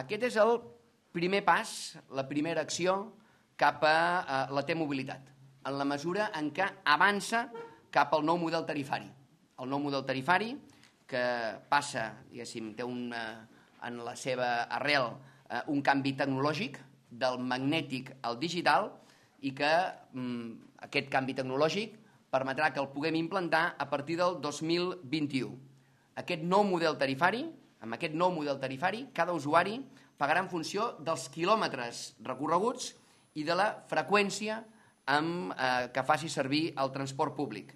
Aquest és el primer pas, la primera acció cap a la T-mobilitat, en la mesura en què avança cap al nou model tarifari. El nou model tarifari que passa, diguéssim, té en la seva arrel un canvi tecnològic del magnètic al digital i que aquest canvi tecnològic permetrà que el puguem implantar a partir del 2021. Aquest nou model tarifari, amb aquest nou model tarifari, cada usuari pagarà en funció dels quilòmetres recorreguts i de la freqüència que faci servir el transport públic.